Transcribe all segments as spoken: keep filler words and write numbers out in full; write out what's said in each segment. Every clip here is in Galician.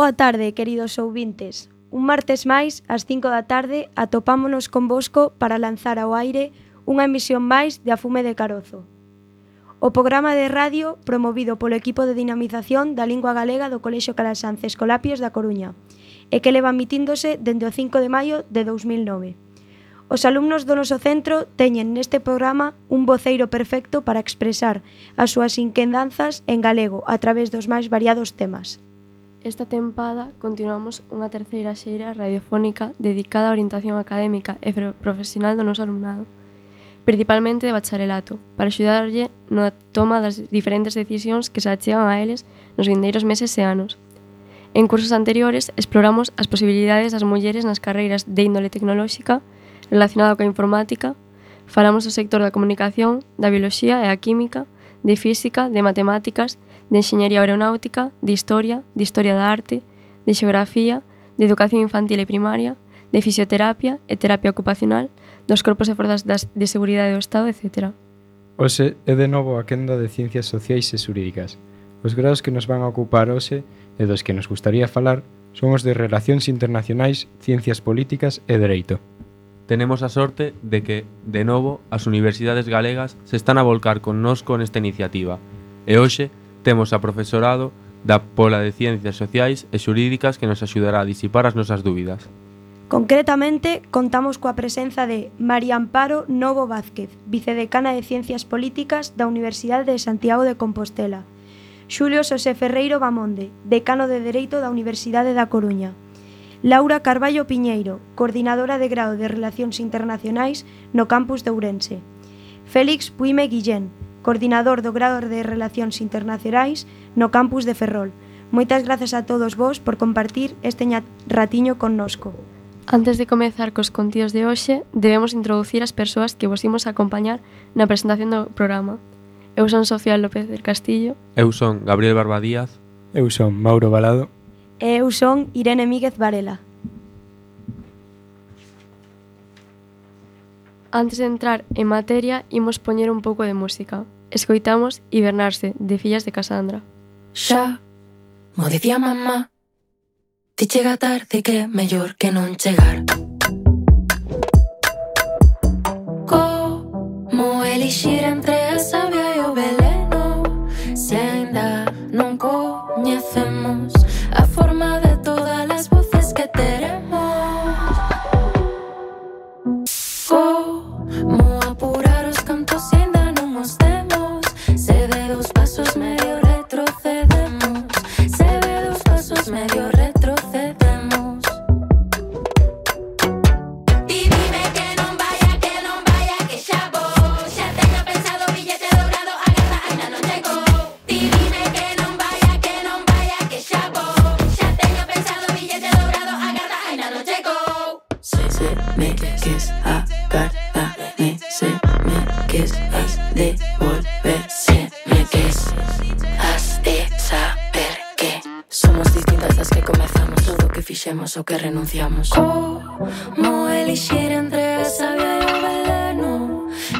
Boa tarde, queridos ouvintes. Un martes máis, ás cinco da tarde, atopámonos convosco para lanzar ao aire unha emisión máis de A Fume de Carozo. O programa de radio promovido polo equipo de dinamización da lingua galega do Colexio Calasanz Escolapios da Coruña e que leva emitíndose dende o cinco de maio de dous mil nove. Os alumnos do noso centro teñen neste programa un voceiro perfecto para expresar as súas inquedanzas en galego a través dos máis variados temas. Esta tempada continuamos unha terceira xeira radiofónica dedicada á orientación académica e profesional do noso alumnado, principalmente de bacharelato, para axudarlle na toma das diferentes decisións que se achegan a eles nos vindeiros meses e anos. En cursos anteriores exploramos as posibilidades das mulleres nas carreiras de índole tecnolóxica relacionada coa informática, falamos do sector da comunicación, da bioloxía e a química, de física, de matemáticas, de enxeñería aeronáutica, de historia, de historia da arte, de xeografía, de educación infantil e primaria, de fisioterapia e terapia ocupacional, dos corpos e forzas de seguridade do Estado, etcétera. Hoxe é de novo a quenda de Ciencias Sociais e Xurídicas. Os graos que nos van a ocupar hoxe e dos que nos gustaría falar son os de Relacións Internacionais, Ciencias Políticas e Dereito. Tenemos a sorte de que, de novo, as universidades galegas se están a volcar connosco nesta iniciativa e hoxe temos a profesorado da Pola de Ciencias Sociais e Xurídicas que nos axudará a disipar as nosas dúbidas. Concretamente, contamos coa presenza de María Amparo Novo Vázquez, vicedecana de Ciencias Políticas da Universidade de Santiago de Compostela, Xulio Xosé Ferreiro Bamonde, decano de Dereito da Universidade da Coruña, Laura Carballo Piñeiro, coordinadora de grado de Relacións Internacionais no campus de Ourense, Félix Puime Guillén, coordinador do grado de Relacións Internacionais no campus de Ferrol. Moitas grazas a todos vos por compartir este ratiño connosco. Antes de comezar cos contidos de hoxe, debemos introducir as persoas que vos imos acompañar na presentación do programa. Eu son Sofía López del Castillo. Eu son Gabriel Barba Díaz. Eu son Mauro Balado. E eu son Irene Míguez Varela. Antes de entrar en materia, imos poñer un pouco de música. Escoitamos Hibernarse, de Fillas de Casandra. Xa, mo dicía mamá, ti chega tarde que é mellor que non chegar. Como elixir entre a savia e o veleno, se aínda non coñecemos a forma de todas as voces que teremos. Como apurar os cantos se aínda non os temos, se de dos pasos medio retrocedemos, se de dos pasos medio retrocedemos. Ti dime que non vaya, que non vaya, que xa vou, xa teño pensado billete dobrado, agarra, aínda non chegou. Ti dime que non vaya, que non vaya, que xa vou, xa teño pensado billete dobrado, agarra, aínda non chegou. Se se me quis agardarme, se me quis has de volver, se me quis has de saber que somos distintas das que comezamos, todo o que fixemos o que renunciamos. Como elixir entre a savia e o veleno,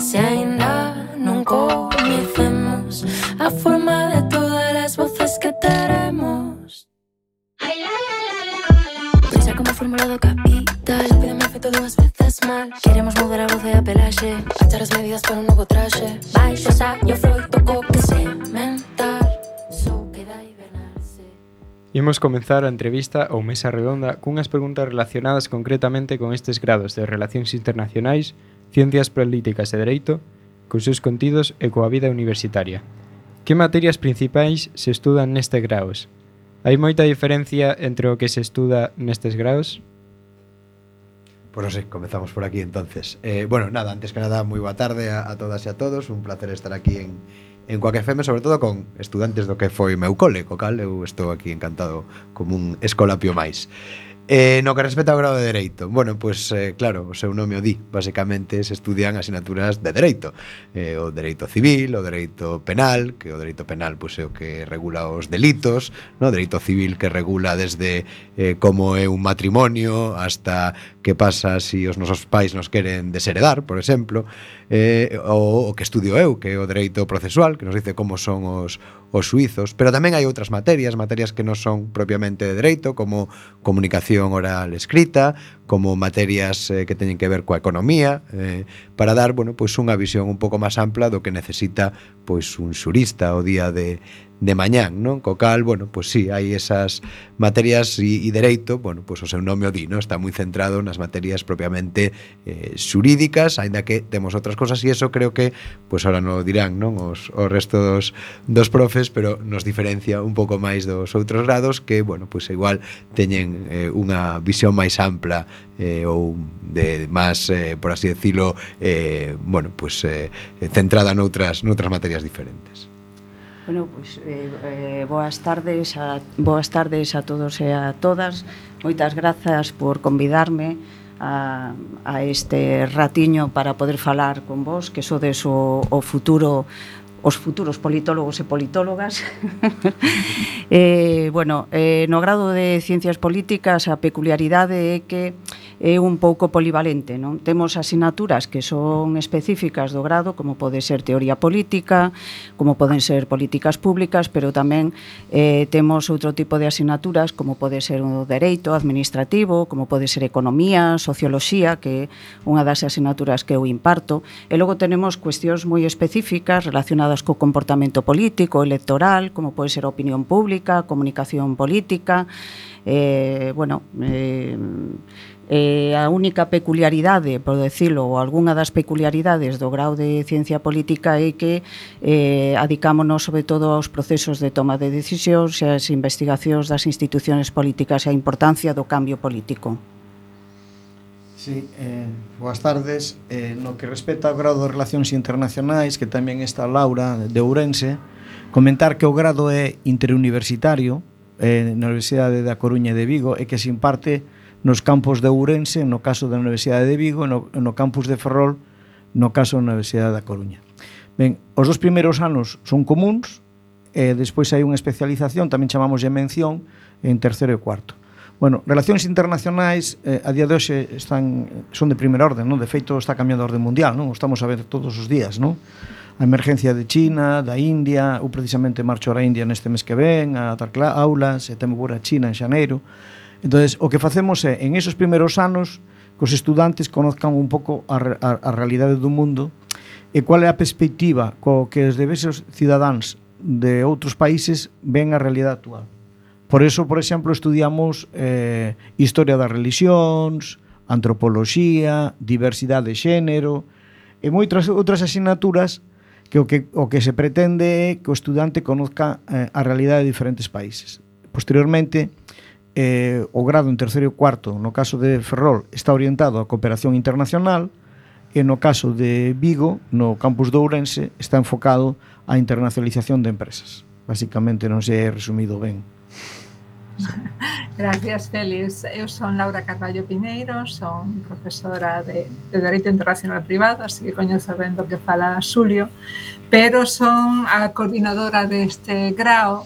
se aínda non coñecemos a forma de todas as voces que teremos. Pensa como fórmula do capital, pídeme feito dúas veces mal. Queremos mudar a voz e a pelaxe, achar as medidas para un novo traxe. Baixo saio froito co que sementar, só queda hibernarse. Imos comenzar a entrevista ou mesa redonda cunhas preguntas relacionadas concretamente con estes grados de Relacións Internacionais, Ciencias Políticas e Dereito, cos seus contidos e coa vida universitaria. Que materias principais se estudan nestes graos? Hai moita diferencia entre o que se estuda nestes graos? Pois non sei, comezamos por aquí entonces. Eh, bueno, nada, antes que nada, moi boa tarde a, a todas e a todos. Un placer estar aquí en, en Coac F M, sobre todo con estudantes do que foi meu cole, co cal eu estou aquí encantado como un escolapio máis. Eh, no que respecta ao grado de Dereito, bueno, pois eh, claro, o seu nome o di, basicamente se estudian asignaturas de Dereito, eh, o Dereito Civil, o Dereito Penal, que o Dereito Penal pois é o que regula os delitos, no? O Dereito Civil que regula desde eh, como é un matrimonio hasta que pasa se si os nosos pais nos queren desheredar, por exemplo, eh, o, o que estudio eu, que é o Dereito Procesual, que nos dice como son os os suizos, pero tamén hai outras materias, materias que non son propiamente de dereito, como comunicación oral escrita, como materias eh, que teñen que ver coa economía, eh, para dar, bueno, pois unha visión un pouco máis ampla do que necesita pois un xurista o día de de mañán, non? Co cal, bueno, pois sí, hai esas materias e, e dereito, bueno, pois o seu nome o di, non? Está moi centrado nas materias propiamente eh, xurídicas, aínda que temos outras cosas e eso creo que, pois ahora non dirán, non? Os, os resto dos, dos profes, pero nos diferencia un pouco máis dos outros grados que, bueno, pois igual teñen eh, unha visión máis ampla eh, ou de máis, eh, por así decirlo, eh, bueno, pois eh, centrada noutras, noutras materias diferentes. Bueno, pois eh, eh, boas tardes a boas tardes a todos e a todas. Moitas grazas por convidarme a, a este ratiño para poder falar con vos, que sodes o, o futuro os futuros politólogos e politólogas. eh, bueno, eh, no grado de Ciencias Políticas a peculiaridade é que é un pouco polivalente, non? Temos asignaturas que son específicas do grado, como pode ser teoría política, como poden ser políticas públicas, pero tamén eh, temos outro tipo de asignaturas, como pode ser o dereito administrativo, como pode ser economía, socioloxía, que é unha das asignaturas que eu imparto, e logo tenemos cuestións moi específicas relacionadas co comportamento político, electoral, como pode ser a opinión pública, comunicación política, eh, bueno, eh, Eh, a única peculiaridade, por decirlo, ou algunha das peculiaridades do grau de Ciencia Política é que eh, adicámonos sobre todo aos procesos de toma de decisións e as investigacións das institucións políticas e a importancia do cambio político. Sí, eh, boas tardes. Eh, no que respecta ao grado de Relacións Internacionais, que tamén está Laura de Ourense, comentar que o grado é interuniversitario eh, na Universidade da Coruña e de Vigo e que se imparte nos campos de Ourense, no caso da Universidade de Vigo, e no, no campus de Ferrol, no caso da Universidade da Coruña. Ben, os dos primeiros anos son comuns, e despois hai unha especialización, tamén chamamos de mención, en terceiro e cuarto. Bueno, relacións internacionais eh, a día de hoxe están, son de primeira orden, non? De feito está cambiando a orde mundial, non? O estamos a ver todos os días, non? A emergencia de China, da India, ou precisamente marcho a India neste mes que ven, a dar aulas, e temo por a China en xaneiro. Entonces, o que facemos é, en esos primeiros anos, que os estudantes conozcan un pouco a, a, a realidade do mundo e qual é a perspectiva co que os diversos cidadáns de outros países ven a realidade actual. Por eso, por exemplo, estudiamos eh, historia das religións, antropoloxía, diversidade de xénero e moitas outras asignaturas que o que, o que se pretende é que o estudante conozca eh, a realidade de diferentes países. Posteriormente, eh, o grado en terceiro e cuarto, no caso de Ferrol, está orientado á cooperación internacional e no caso de Vigo, no campus de Ourense, está enfocado á internacionalización de empresas. Básicamente non se é resumido ben. Gracias, Félix. Eu son Laura Carballo Pineiro, son profesora de, de Dereito Internacional Privado, así que coñezo ben do que fala Xulio, pero son a coordinadora deste grao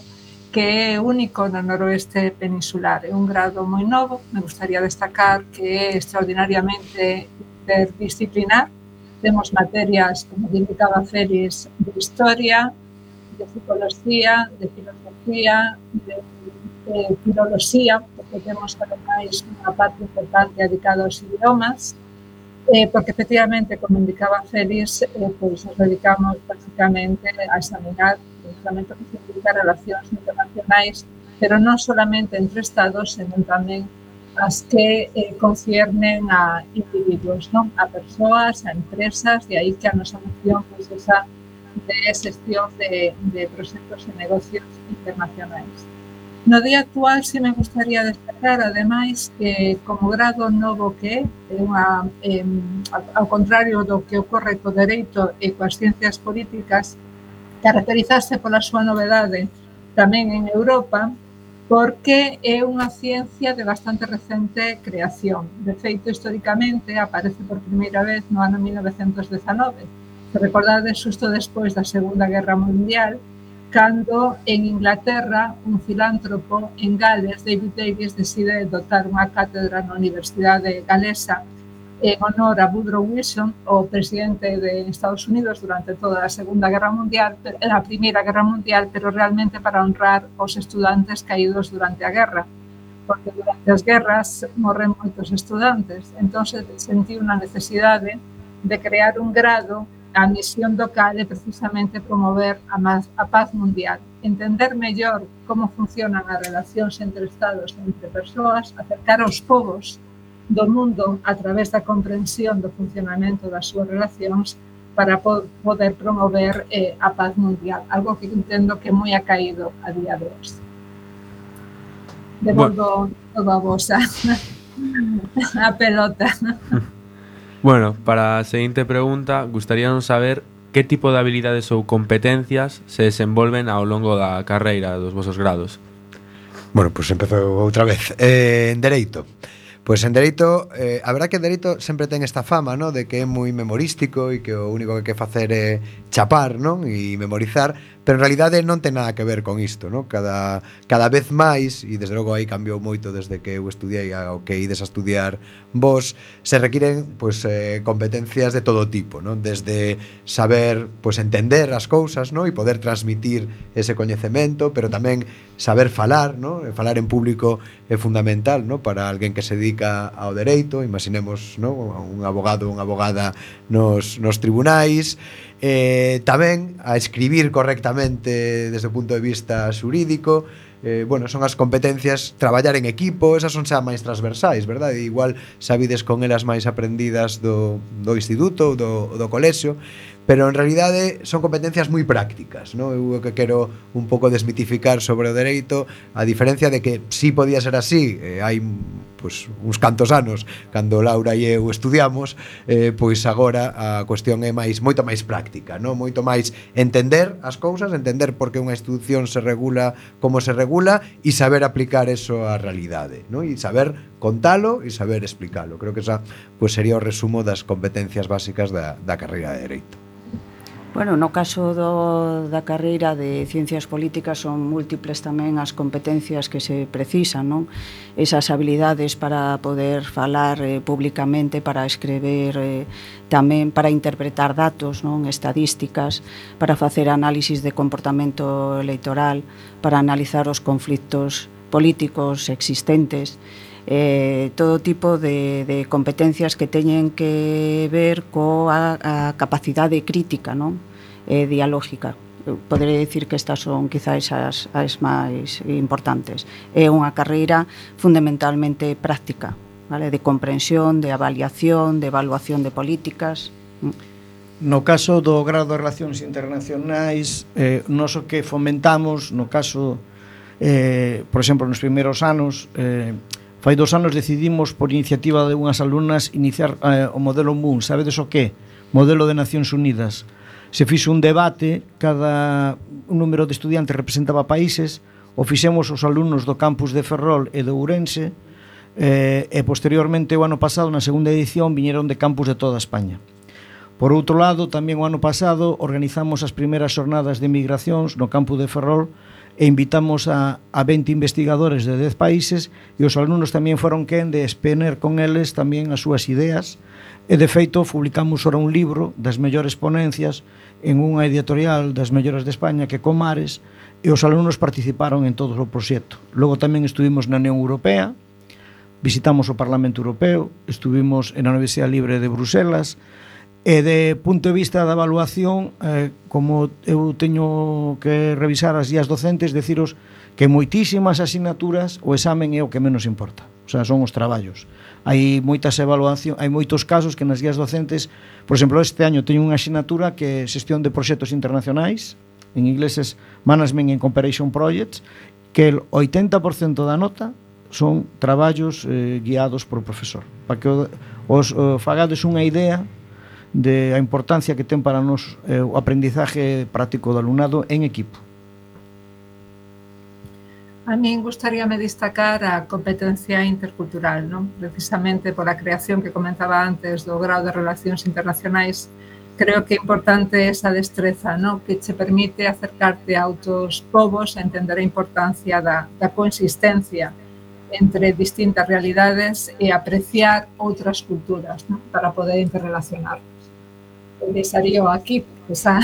que é único no noroeste peninsular. É un grado moi novo, me gustaría destacar que é extraordinariamente interdisciplinar. Temos materias, como indicaba Félix, de historia, de psicología, de filosofía, de de filoloxía, porque temos ademais unha parte importante dedicada aos idiomas, eh, porque efectivamente, como indicaba Félix, eh, pois nos dedicamos basicamente a examinar precisamente o que significa relacións internacionais, pero non solamente entre estados, senón tamén as que eh, conciernen a individuos, non? A persoas, a empresas, e aí que a nosa moción pois esa de xestión de, de proxectos e negocios internacionais. No día actual, si me gustaría destacar, ademais, que como grado novo que é, unha, eh, ao contrario do que ocorre co dereito e coas ciencias políticas, caracterizarse pola súa novedade tamén en Europa, porque é unha ciencia de bastante recente creación. De feito, históricamente, aparece por primeira vez no ano mil novecentos dezanove. Se recordades, xusto despois da Segunda Guerra Mundial, cando en Inglaterra un filántropo en Gales, David Davis, decide dotar unha cátedra na Universidade Galesa en honor a Woodrow Wilson, o presidente de Estados Unidos durante toda a Segunda Guerra Mundial, a Primeira Guerra Mundial, pero realmente para honrar os estudantes caídos durante a guerra, porque durante as guerras morren moitos estudantes. Entón, sentí unha necesidade de crear un grado. A misión do cal é precisamente promover a, más, a paz mundial, entender mellor como funcionan as relacións entre estados e entre persoas, acercar aos povos do mundo a través da comprensión do funcionamento das súas relacións para po poder promover eh, a paz mundial, algo que entendo que é moi acaído a día de hoxe. Devolvo bueno. todo a vosa a pelota. Bueno, para a seguinte pregunta, gustaríanos saber que tipo de habilidades ou competencias se desenvolven ao longo da carreira dos vosos grados. Bueno, pois pues empezo outra vez. Eh, en Dereito. Pois pues en Dereito, eh, a verdad que en Dereito sempre ten esta fama, ¿no? De que é moi memorístico e que o único que hai que facer é chapar, non? E memorizar, pero en realidade non ten nada que ver con isto, ¿no? Cada, cada vez máis, e desde logo aí cambiou moito desde que eu estudiei ao que ides a estudiar vos, se requiren pues, eh, competencias de todo tipo, ¿no? Desde saber pues, entender as cousas, ¿no? E poder transmitir ese coñecemento, pero tamén saber falar, ¿no? Falar en público é fundamental, ¿no? Para alguén que se dedica ao dereito, imaginemos, ¿no? Un abogado, unha abogada nos, nos tribunais, eh, tamén a escribir correctamente desde o punto de vista xurídico. Eh, bueno, son as competencias, traballar en equipo, esas son xa máis transversais, verdade? Igual sabides con elas máis aprendidas do, do instituto ou do, do colexio, pero en realidade son competencias moi prácticas, non? Eu o que quero un pouco desmitificar sobre o dereito, a diferencia de que si podía ser así, eh, hai pois, uns cantos anos cando Laura e eu estudiamos, eh, pois agora a cuestión é máis moito máis práctica, non? Moito máis entender as cousas, entender por que unha institución se regula como se regula e saber aplicar eso á realidade, non? E saber contalo e saber explicalo. Creo que esa pois, sería o resumo das competencias básicas da, da carreira de Dereito. Bueno, no caso do, da carreira de Ciencias Políticas son múltiples tamén as competencias que se precisan, non? Esas habilidades para poder falar eh, públicamente, para escrever eh, tamén, para interpretar datos, non? Estadísticas, para facer análisis de comportamento electoral, para analizar os conflictos políticos existentes, eh, todo tipo de, de competencias que teñen que ver coa a capacidade crítica, non? Eh, dialógica. Poderei dicir que estas son quizás as, as máis importantes. É unha carreira fundamentalmente práctica, vale? De comprensión, de avaliación, de evaluación de políticas. No caso do grado de Relacións Internacionais, eh, nós o que fomentamos, no caso, eh, por exemplo, nos primeiros anos, eh, fai dos anos decidimos, por iniciativa de unhas alumnas, iniciar eh, o modelo Moon. Sabedes o que? Modelo de Nacións Unidas. Se fixo un debate, cada un número de estudiantes representaba países, o fixemos os alumnos do campus de Ferrol e de Ourense, eh, e posteriormente o ano pasado, na segunda edición, viñeron de campus de toda España. Por outro lado, tamén o ano pasado organizamos as primeiras xornadas de migracións no campus de Ferrol e invitamos a, a vinte investigadores de dez países e os alumnos tamén foron quen de exponer con eles tamén as súas ideas e de feito publicamos ora un libro das mellores ponencias en unha editorial das mellores de España que Comares e os alumnos participaron en todo o proxecto. Logo tamén estuvimos na Unión Europea, visitamos o Parlamento Europeo, estuvimos na Universidade Libre de Bruselas. E de punto de vista da evaluación, eh, como eu teño que revisar as guías docentes, deciros que moitísimas asignaturas o examen é o que menos importa. O sea, son os traballos. Hai moitas evaluacións, hai moitos casos que nas guías docentes, por exemplo, este año teño unha asignatura que é xestión de proxectos internacionais, en inglés é Management and Cooperation Projects, que el oitenta por cento da nota son traballos eh, guiados por o profesor. Para que os eh, fagades unha idea de a importancia que ten para nos eh, o aprendizaje práctico do alumnado en equipo. A min gustaríame destacar a competencia intercultural, non? Precisamente pola creación que comentaba antes do grado de Relacións Internacionais, creo que é importante esa destreza, non? Que che permite acercarte a outros povos e entender a importancia da, da coexistencia entre distintas realidades e apreciar outras culturas, non? Para poder interrelacionar. Deixarío aquí, porque xa,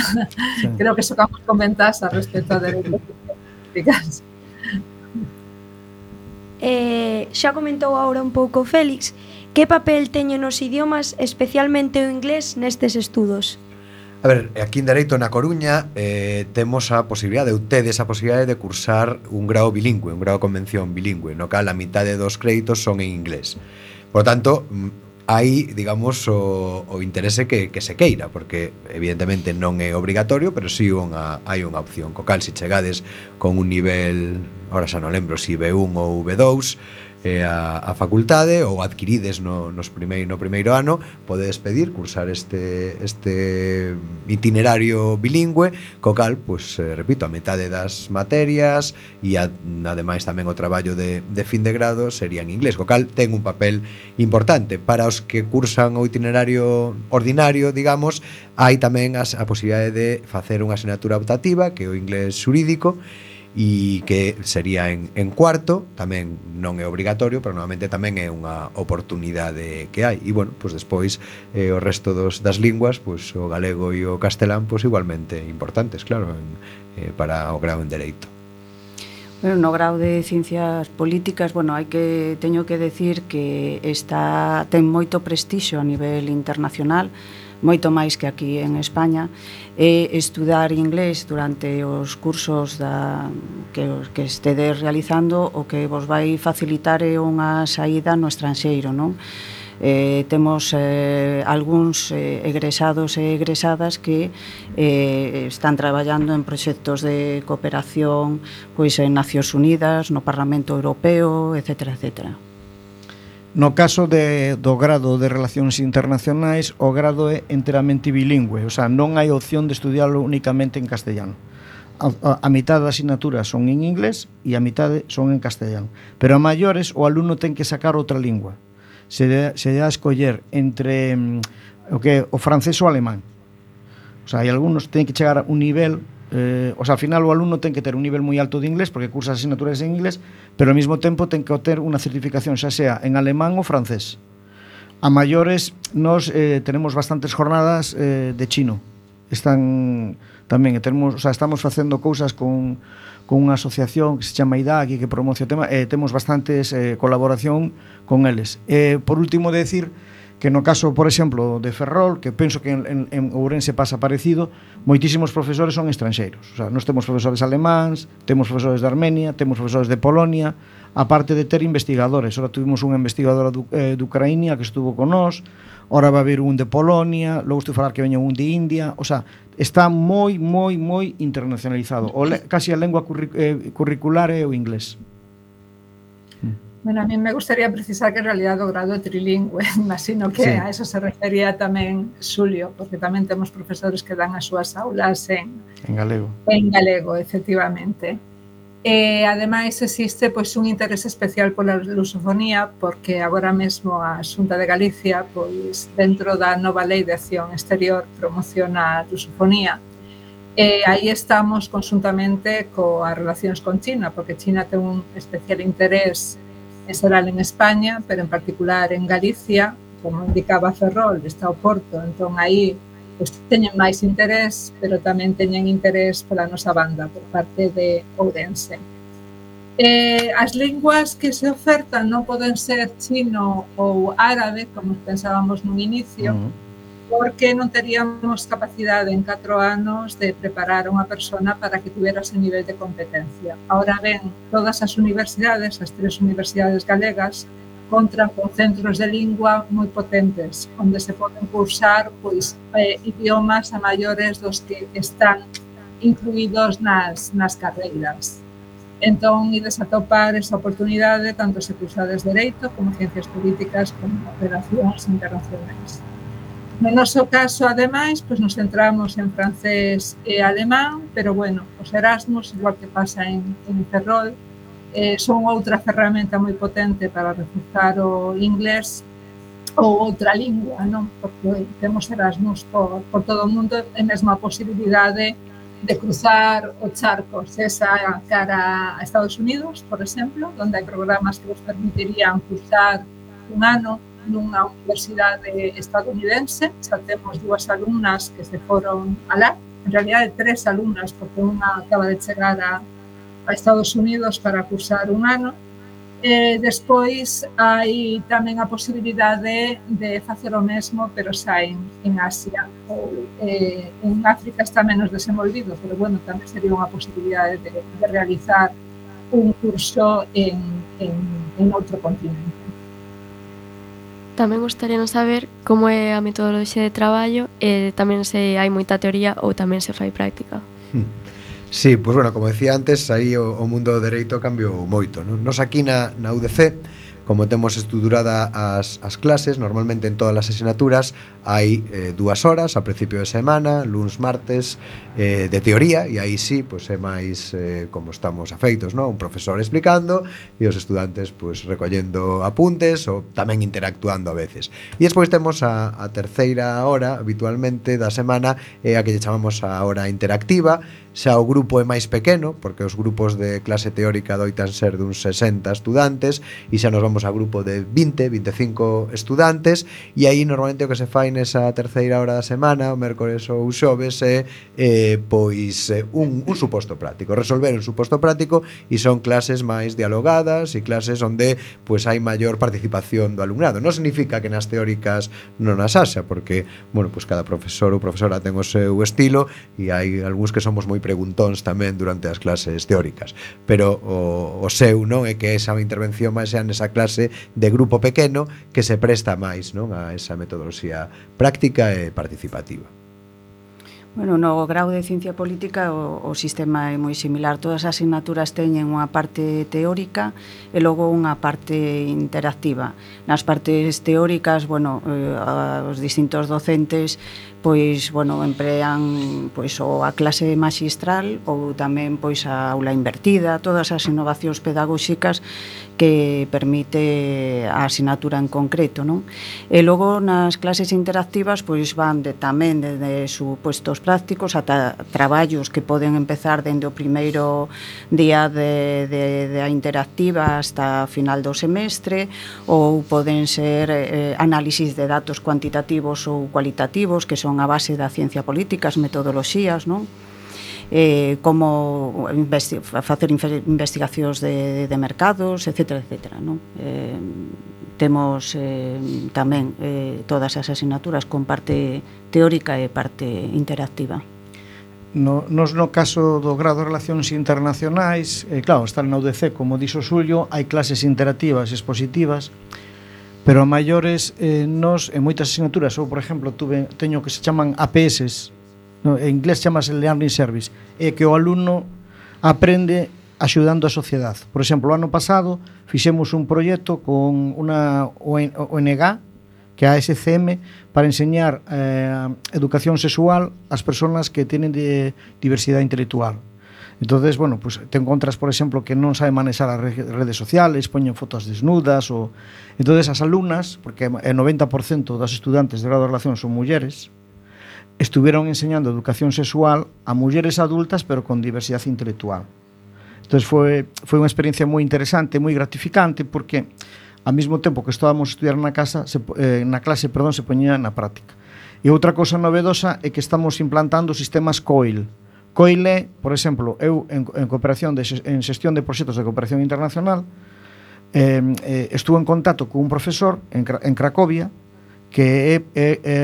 sí. Creo que socamos comentas a respecto de políticas. Eh, xa comentou agora un pouco Félix, que papel teñen os idiomas, especialmente o inglés, nestes estudos? A ver, aquí en Dereito na Coruña eh, temos a posibilidade, ou tedes a posibilidade de cursar un grao bilingüe, un grao de convención bilingüe, no cal a mitade dos créditos son en inglés. Por tanto, hai, digamos, o, o interese que, que se queira, porque evidentemente non é obrigatorio, pero sí unha, hai unha opción. Co cal, se chegades con un nivel, ahora xa non lembro si B un ou B dous, eh, a, a facultade ou adquirides no, nos primeiro, no primeiro ano, podedes pedir cursar este, este itinerario bilingüe, co cal, pues, eh, repito, a metade das materias e a, ademais tamén o traballo de, de fin de grado sería en inglés, co cal ten un papel importante. Para os que cursan o itinerario ordinario, digamos, hai tamén as, a posibilidade de facer unha asignatura optativa, que é o inglés xurídico, e que sería en, en cuarto, tamén non é obrigatorio, pero normalmente tamén é unha oportunidade que hai. E, bueno, pues despois eh, o resto dos, das linguas, pues, o galego e o castelán, pues, igualmente importantes, claro, en, eh, para o grau en Dereito. Bueno, no grau de Ciencias Políticas, bueno, hai que teño que decir que está ten moito prestixio a nivel internacional, moito máis que aquí en España, e estudar inglés durante os cursos da, que, que estedes realizando o que vos vai facilitar é unha saída no estranxeiro, non? Eh, temos eh, algúns eh, egresados e egresadas que eh, están traballando en proxectos de cooperación pois en Nacións Unidas, no Parlamento Europeo, etcétera, etcétera. No caso de, do grado de Relacións Internacionais, o grado é enteramente bilingüe, o sea, non hai opción de estudiarlo únicamente en castellano. A, a, a mitad das asignaturas son en inglés e a mitad son en castellano. Pero a maiores o alumno ten que sacar outra lingua. Se de, se de a escoller entre mm, o que o francés ou o alemán. O sea, hai alumnos que ten que chegar a un nivel, eh, o sea, ao final o alumno ten que ter un nivel moi alto de inglés porque cursa as asignaturas en inglés, pero ao mesmo tempo ten que obter unha certificación xa sea en alemán ou francés. A maiores nos eh, tenemos bastantes jornadas eh, de chino. Están tamén, temos, o sea, estamos facendo cousas con con unha asociación que se chama I D A C que promociona o tema, e eh, temos bastantes eh, colaboración con eles. Eh, por último, decir que no caso, por exemplo, de Ferrol, que penso que en, en, en Ourense pasa parecido, moitísimos profesores son estranxeiros. O sea, nós temos profesores alemáns, temos profesores de Armenia, temos profesores de Polonia, aparte de ter investigadores. Ora tuvimos unha investigadora de, eh, de Ucraína que estuvo con nós, ora va a haber un de Polonia, logo estou a falar que veña un de India, o sea, está moi, moi, moi internacionalizado. O le, casi a lengua curric, eh, curricular é o inglés. Bueno, a mí me gustaría precisar que en realidad o grado é trilingüe, imagino que sí. A eso se refería tamén Xulio, porque tamén temos profesores que dan as súas aulas en, en galego. En galego, efectivamente. E, ademais, existe pois, un interés especial pola lusofonía, porque agora mesmo a Xunta de Galicia, pois, dentro da nova Lei de Acción Exterior, promociona a lusofonía. E aí estamos conjuntamente coas relacións con China, porque China ten un especial interés en xeral en España, pero en particular en Galicia, como indicaba Ferrol, está o Porto, entón aí pues, teñen máis interés, pero tamén teñen interés pola nosa banda, por parte de Ourense. Eh, as linguas que se ofertan non poden ser chino ou árabe, como pensábamos nun inicio, uh-huh. porque non teríamos capacidade en catro anos de preparar unha persona para que tuvera ese nivel de competencia. Ahora ben, todas as universidades, as tres universidades galegas, contan con centros de lingua moi potentes, onde se poden cursar pois, eh, idiomas a maiores dos que están incluídos nas, nas carreiras. Entón, ides a topar esa oportunidade, tanto se cursades Dereito, como Ciencias Políticas, como Relacións Internacionais. No noso caso, ademais, pois nos centramos en francés e alemán, pero, bueno, os Erasmus, igual que pasa en, en Ferrol, eh, son outra ferramenta moi potente para reforzar o inglés ou outra lingua, non? Porque temos Erasmus por, por todo o mundo e mesmo a posibilidade de cruzar o charco, esa cara a Estados Unidos, por exemplo, onde hai programas que vos permitirían cursar un ano nunha universidade estadounidense. Xa temos dúas alumnas que se foron alá, en realidad tres alumnas, porque unha acaba de chegar a, a Estados Unidos para cursar un ano. E despois hai tamén a posibilidade de facer o mesmo, pero xa en, en Asia. Ou, eh, en África está menos desenvolvido, pero bueno, tamén sería unha posibilidade de, de realizar un curso en, en, en outro continente. Tamén gostaríamos saber como é a metodoloxía de traballo e tamén se hai moita teoría ou tamén se fai práctica. Sí, pois pues bueno, como decía antes, aí o, o mundo do dereito cambiou moito, non? Nos aquí na, na U D C, como temos estruturada as, as clases, normalmente en todas as asignaturas hai eh, dúas horas a principio de semana, luns, martes, eh, de teoría, e aí sí, pois é máis eh, como estamos afeitos, non? Un profesor explicando e os estudantes pois recollendo apuntes ou tamén interactuando a veces. E despois temos a, a terceira hora habitualmente da semana, é a que lle chamamos a hora interactiva. Xa o grupo é máis pequeno, porque os grupos de clase teórica doitan ser duns sesenta estudantes, e xa nos vamos a grupo de vinte, vinte e cinco estudantes, e aí normalmente o que se fai nesa terceira hora da semana, o mércores ou xoves, é eh, pois un, un suposto práctico, resolver un suposto práctico, e son clases máis dialogadas e clases onde pois hai maior participación do alumnado. Non significa que nas teóricas non as haxa, porque, bueno, pois cada profesor ou profesora ten o seu estilo, e hai algúns que somos moi preguntóns tamén durante as clases teóricas, pero o, o seu non é que esa intervención máis sea nesa clase clase de grupo pequeno que se presta máis, non, a esa metodoloxía práctica e participativa. Bueno, no grau de Ciencia Política o, o sistema é moi similar. Todas as asignaturas teñen unha parte teórica e logo unha parte interactiva. Nas partes teóricas, bueno, eh, os distintos docentes pois, bueno, emplean pois ou a clase maxistral ou tamén pois a aula invertida, todas as innovacións pedagóxicas que permite a asignatura en concreto, non? E logo nas clases interactivas pois van de, tamén desde supuestos prácticos ata traballos que poden empezar dende o primeiro día de, de, de a interactiva hasta final do semestre, ou poden ser eh, análisis de datos cuantitativos ou cualitativos que son a base da ciencia política, as metodoloxías, non? Eh, como investi facer investigacións de, de mercados, etcétera, etcétera, non? Eh, temos eh, tamén eh, todas as asignaturas con parte teórica e parte interactiva. No, nos no caso do grado de Relacións Internacionais, eh, claro, está na U D C, como dixo Xulio, hai clases interactivas e expositivas, pero a maiores eh, nos, en moitas asignaturas, ou por exemplo, tuve, teño que se chaman A P S, no, en inglés chamase Learning Service, é que o alumno aprende axudando a sociedade. Por exemplo, o ano pasado fixemos un proxecto con unha O N G, que é a S C M, para enseñar eh, educación sexual ás persoas que tenen de diversidade intelectual. Entonces, bueno, pues te encontras, por exemplo, que non sabe manexar as redes sociales, poñen fotos desnudas, ou... entonces as alumnas, porque o noventa por cento das estudantes de grado de relación son mulleres, estuvieron enseñando educación sexual a mulleres adultas, pero con diversidade intelectual. Entonces foi, foi unha experiencia moi interesante, moi gratificante, porque ao mesmo tempo que estábamos a estudiar na casa, se, eh, na clase, perdón, se poñía na práctica. E outra cousa novedosa é que estamos implantando sistemas C O I L. C O I L é, por exemplo, eu en, en cooperación de, en xestión de proxectos de cooperación internacional, eh, eh, estuve en contacto con un profesor en, en Cracovia que é, é, é,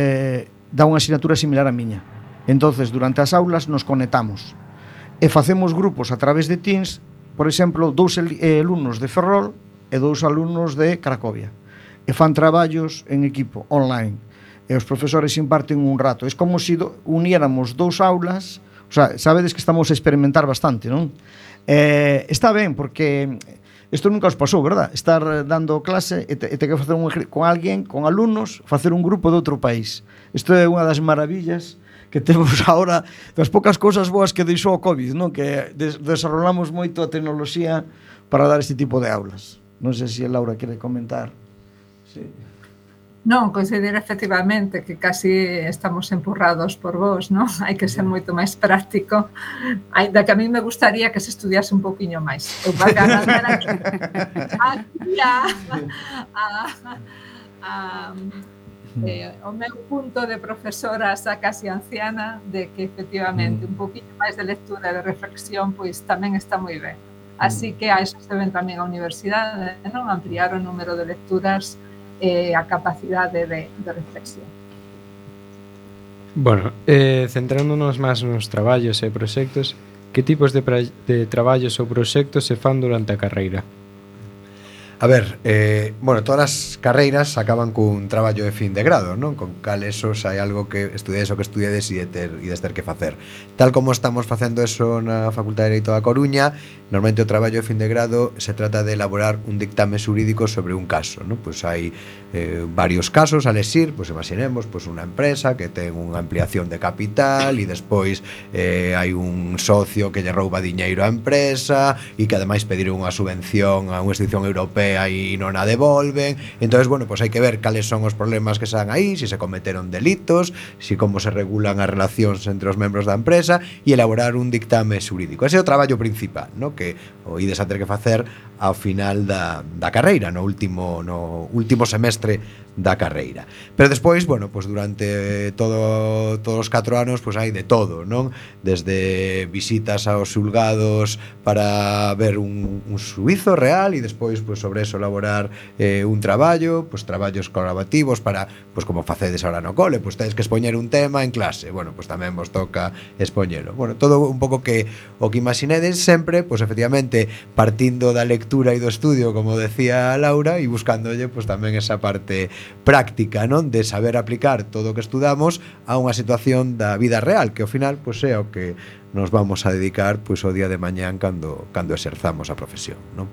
dá unha asignatura similar a miña. Entonces, durante as aulas nos conectamos e facemos grupos a través de Teams, por exemplo, dous alumnos de Ferrol e dous alumnos de Cracovia, e fan traballos en equipo online, e os profesores imparten un rato. É como se uniéramos dous aulas. O sea, sabedes que estamos a experimentar bastante, non? Eh, está ben, porque isto nunca os pasou, verdad? Estar dando clase e te, e te que facer un, con alguén, con alumnos, facer un grupo de outro país. Isto é unha das maravillas que temos agora, das poucas cousas boas que deixou o COVID, non? Que des desarrollamos moito a tecnoloxía para dar este tipo de aulas. Non sei se a Laura quere comentar. Sí. Non, considero efectivamente que casi estamos empurrados por vos, non? Hai que ser moito máis práctico. Ainda que a mí me gustaría que se estudiase un pouquiño máis. Eu para ganar aquí a, a, a, eh, o meu punto de profesora xa casi anciana de que efectivamente un pouquiño máis de lectura e de reflexión pois tamén está moi ben. Así que a eso se ven tamén a universidade, non? Ampliar o número de lecturas e a capacidade de, de reflexión. Bueno, eh, centrándonos máis nos traballos e proxectos, que tipos de, de traballos ou proxectos se fan durante a carreira? A ver, eh, bueno, todas as carreiras acaban cun traballo de fin de grado, non? Con cal eso hai algo que estudiades o que estudiades e de ter, e de ter que facer. Tal como estamos facendo eso na Facultade de Dereito da Coruña, normalmente o traballo de fin de grado se trata de elaborar un dictame xurídico sobre un caso, non? Pois hai eh, varios casos a lexir, pois imaginemos, pois unha empresa que ten unha ampliación de capital e despois eh, hai un socio que lle rouba diñeiro á empresa e que ademais pediron unha subvención a unha institución europea e non a devolven. Entonces, bueno, pues hai que ver cales son os problemas que están aí, se se cometeron delitos, si como se regulan as relacións entre os membros da empresa e elaborar un dictame xurídico. Ese é o traballo principal, ¿no? Que o ides a ter que facer ao final da, da carreira, no último, no último semestre da carreira. Pero despois, bueno, pues durante todo todos os catro anos, pues hai de todo, non? Desde visitas aos xulgados para ver un, un suizo real e despois, pues sobre eso elaborar eh, un traballo, pues traballos colaborativos para, pues como facedes ahora no cole, pues tedes que expoñer un tema en clase, bueno, pues tamén vos toca expoñelo. Bueno, todo un pouco que o que imaginedes sempre, pues efectivamente partindo da lectura e do estudio, como decía Laura, e buscándolle pues tamén esa parte práctica, non? De saber aplicar todo o que estudamos a unha situación da vida real, que ao final pois é o que nos vamos a dedicar pois o día de mañán cando cando exerzamos a profesión, non?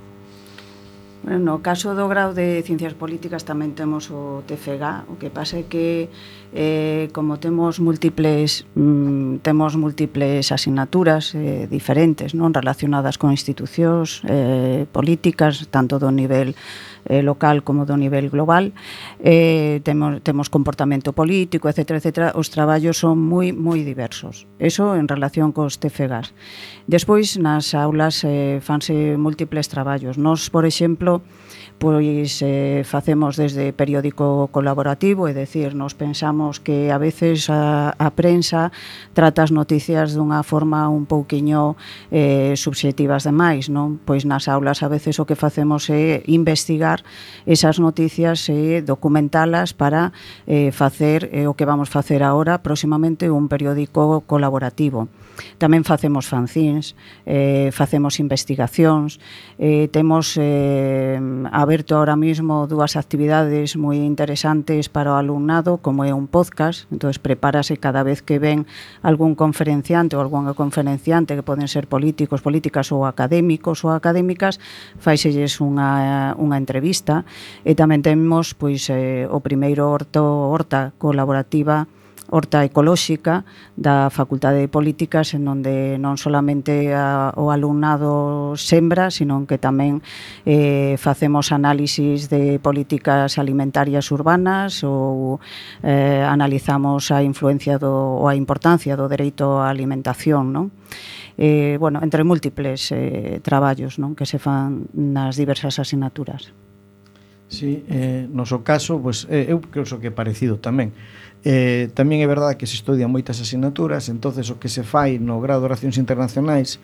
No caso do grau de Ciencias Políticas tamén temos o T F G A, o que pasa é que eh, como temos múltiples mm, temos múltiples asignaturas eh, diferentes, non relacionadas con institucións eh, políticas, tanto do nivel eh, local como do nivel global, eh, temos, temos comportamento político, etcétera, etcétera. Os traballos son moi moi diversos. Eso en relación cos T F G As. Despois, nas aulas eh, fanse múltiples traballos. Nos, por exemplo, pois eh, facemos desde periódico colaborativo, é dicir, nos pensamos que a veces a, a prensa trata as noticias dunha forma un pouquiño eh, subxetivas demais, non? Pois nas aulas a veces o que facemos é investigar esas noticias e documentalas para eh, facer eh, o que vamos facer agora próximamente un periódico colaborativo. Tamén facemos fanzines, eh, facemos investigacións, eh, temos eh, aberto ahora mismo dúas actividades moi interesantes para o alumnado, como é un podcast, entonces prepárase cada vez que ven algún conferenciante ou algunha conferenciante que poden ser políticos, políticas ou académicos ou académicas, faiselles unha, unha entrevista, e tamén temos pois, eh, o primeiro horto, horta colaborativa, horta ecolóxica da Facultade de Políticas, en onde non solamente a, o alumnado sembra, sino que tamén eh, facemos análisis de políticas alimentarias urbanas ou eh, analizamos a influencia do, ou a importancia do dereito á alimentación, non? Eh, bueno, entre múltiples eh, traballos, non, que se fan nas diversas asignaturas. Sí, eh, no seu caso, pues, eh, eu creo que é parecido tamén. Eh, tamén é verdade que se estudian moitas asignaturas, entonces o que se fai no grado de Relacións Internacionais,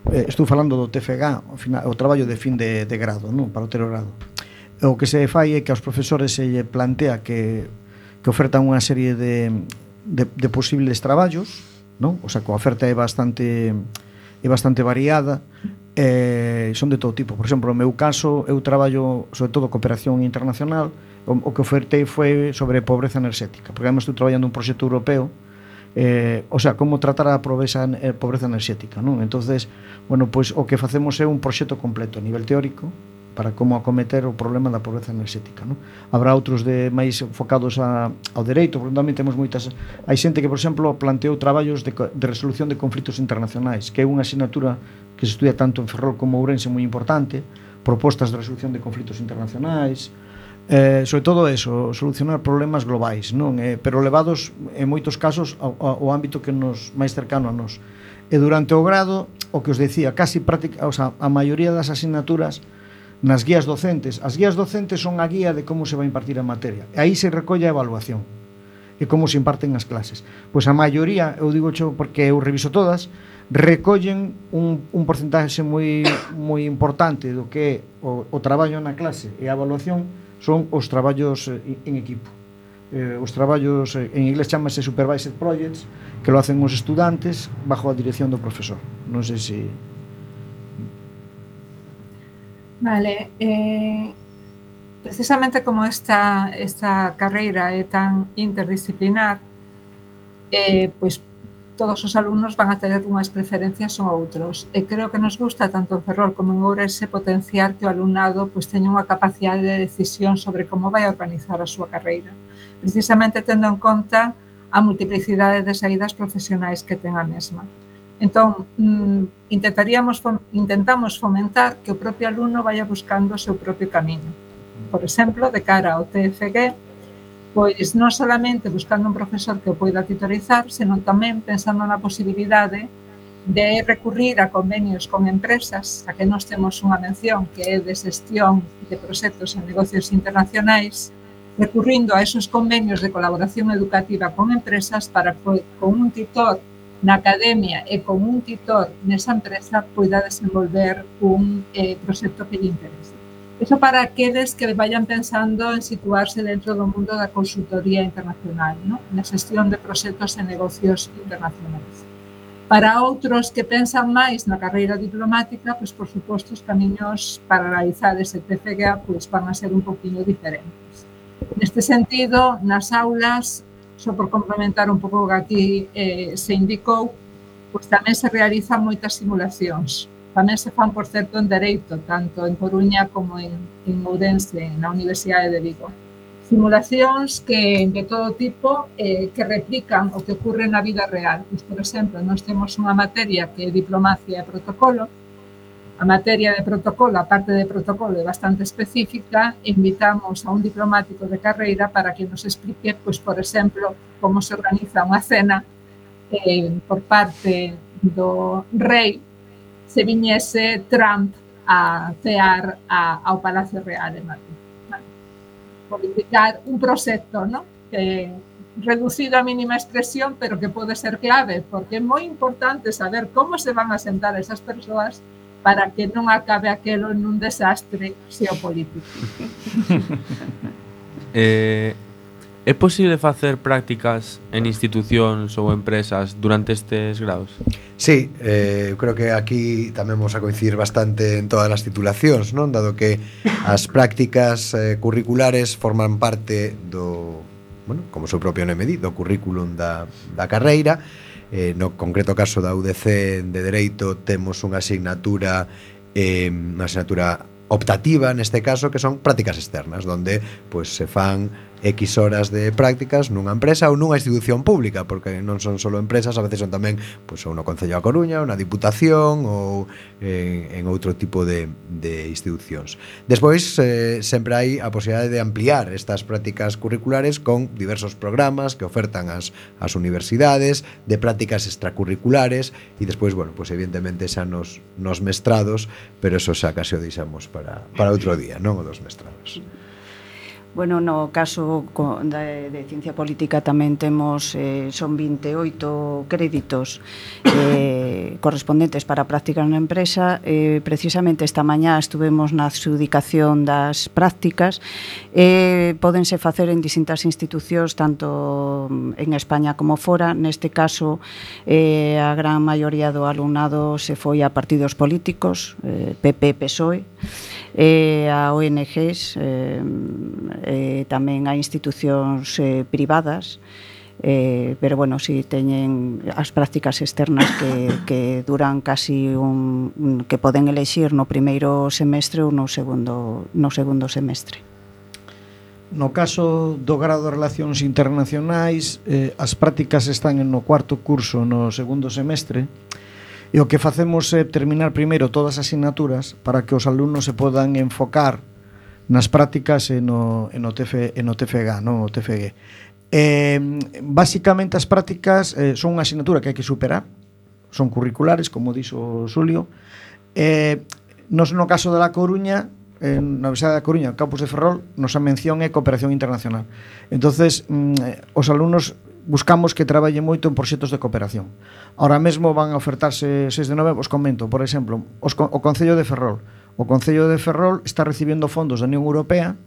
eh, estou falando do T F G A, o, final, o traballo de fin de, de grado, non? Para o terceiro grado. O que se fai é que aos profesores se lle plantea que, que ofertan unha serie de, de, de posibles traballos, non? O sea, que a oferta é bastante é bastante variada, eh, son de todo tipo. Por exemplo, no meu caso, eu traballo sobre todo cooperación internacional. O, o que ofertei foi sobre pobreza enerxética, porque además estou traballando un proxecto europeo, eh, o sea, como tratar a pobreza, eh, pobreza enerxética, non? Entonces, bueno, pois o que facemos é un proxecto completo a nivel teórico para como acometer o problema da pobreza enerxética, non? Habrá outros de máis focados a, ao dereito, porque tamén temos moitas. Hai xente que, por exemplo, planteou traballos de, de resolución de conflitos internacionais, que é unha asignatura que se estudia tanto en Ferrol como Ourense moi importante, propostas de resolución de conflitos internacionais, eh, sobre todo eso, solucionar problemas globais, non? Eh, pero levados en moitos casos ao, ao ámbito que nos máis cercano a nos. E durante o grado, o que os decía, casi práctica, o sea, a maioría das asignaturas nas guías docentes, as guías docentes son a guía de como se vai impartir a materia, e aí se recolle a evaluación e como se imparten as clases. Pois a maioría, eu digo xo porque eu reviso todas, recollen un, un porcentaxe moi moi importante do que é o, o traballo na clase e a evaluación son os traballos en equipo. Eh, os traballos, en inglés chamase supervised projects, que lo hacen os estudantes bajo a dirección do profesor. Non sei se... Vale, eh, precisamente como esta, esta carreira é tan interdisciplinar, eh, pois todos os alumnos van a ter unhas preferencias ou outros. E creo que nos gusta, tanto en Ferrol como en Ourense, potenciar que o alumnado pois, teña unha capacidade de decisión sobre como vai organizar a súa carreira. Precisamente tendo en conta a multiplicidade de saídas profesionais que ten a mesma. Entón, mm, intentaríamos, intentamos fomentar que o propio alumno vaya buscando o seu propio camiño. Por exemplo, de cara ao T F G, pois non solamente buscando un profesor que o poida titularizar, senón tamén pensando na posibilidade de recurrir a convenios con empresas, a que nós temos unha mención que é de xestión de proxectos en negocios internacionais, recurrindo a esos convenios de colaboración educativa con empresas para que con un titor na academia e con un titor nesa empresa poida desenvolver un eh, proxecto que lle interese. Eso para aqueles que vayan pensando en situarse dentro do mundo da consultoría internacional, ¿no? Na xestión de proxectos e negocios internacionais. Para outros que pensan máis na carreira diplomática, pois, por suposto, os camiños para realizar ese T F G A pois, van a ser un poquinho diferentes. Neste sentido, nas aulas, só por complementar un pouco o que aquí eh, se indicou, pois tamén se realizan moitas simulacións. Tamén se fan, por certo, en Dereito, tanto en Coruña como en, en Ourense, na Universidade de Vigo. Simulacións que de todo tipo eh, que replican o que ocurre na vida real. Pois, por exemplo, nós temos unha materia que é diplomacia e protocolo. A materia de protocolo, a parte de protocolo é bastante específica. Invitamos a un diplomático de carreira para que nos explique, pois, por exemplo, como se organiza unha cena eh, por parte do rei se viñese Trump a cear a, ao Palacio Real de Madrid. Por indicar un proxecto, ¿no? Que reducido a mínima expresión, pero que pode ser clave, porque é moi importante saber como se van a sentar esas persoas para que non acabe aquelo nun desastre xeopolítico. eh, é posible facer prácticas en institucións ou empresas durante estes graus? Sí, eh, creo que aquí tamén vamos a coincidir bastante en todas as titulacións, non? Dado que as prácticas eh, curriculares forman parte do, bueno, como o seu propio nome di, do currículum da, da carreira. Eh, no concreto caso da U D C de Dereito temos unha asignatura eh, unha asignatura optativa neste caso, que son prácticas externas, donde pues, se fan X horas de prácticas nunha empresa ou nunha institución pública, porque non son só empresas, a veces son tamén pues, ou no Concello da Coruña, ou na Diputación ou eh, en outro tipo de, de institucións. Despois, eh, sempre hai a posibilidade de ampliar estas prácticas curriculares con diversos programas que ofertan as, as universidades, de prácticas extracurriculares, e despois, bueno, pues, evidentemente xa nos, nos mestrados, pero eso xa casi o deixamos para, para outro día, non o dos mestrados. Bueno, no caso de, de Ciencia Política tamén temos, eh, son vinte e oito créditos eh, correspondentes para prácticas na empresa. Eh, precisamente esta mañá estuvemos na adxudicación das prácticas e eh, pódense facer en distintas institucións, tanto en España como fora. Neste caso, eh, a gran maioría do alumnado se foi a partidos políticos, eh, P P, P S O E, eh, a O N Gs, eh, eh, tamén a institucións eh, privadas, eh, pero bueno, si teñen as prácticas externas que, que duran casi un, un que poden elexir no primeiro semestre ou no segundo, no segundo semestre. No caso do grado de Relacións Internacionais, eh, as prácticas están no cuarto curso no segundo semestre, e o que facemos é terminar primeiro todas as asignaturas para que os alumnos se podan enfocar nas prácticas e no, e no, T F, e no T F G A, non o T F G. Eh, basicamente as prácticas eh, son unha asignatura que hai que superar, son curriculares, como dixo Xulio. Eh, nos, no caso de La Coruña, en na Universidade da Coruña, campus de Ferrol, nosa mención é cooperación internacional. Entonces, mm, os alumnos buscamos que traballen moito en proxectos de cooperación. Ahora mesmo van a ofertarse seis de nove, os comento, por exemplo, os, o Concello de Ferrol. O Concello de Ferrol está recibiendo fondos da Unión Europea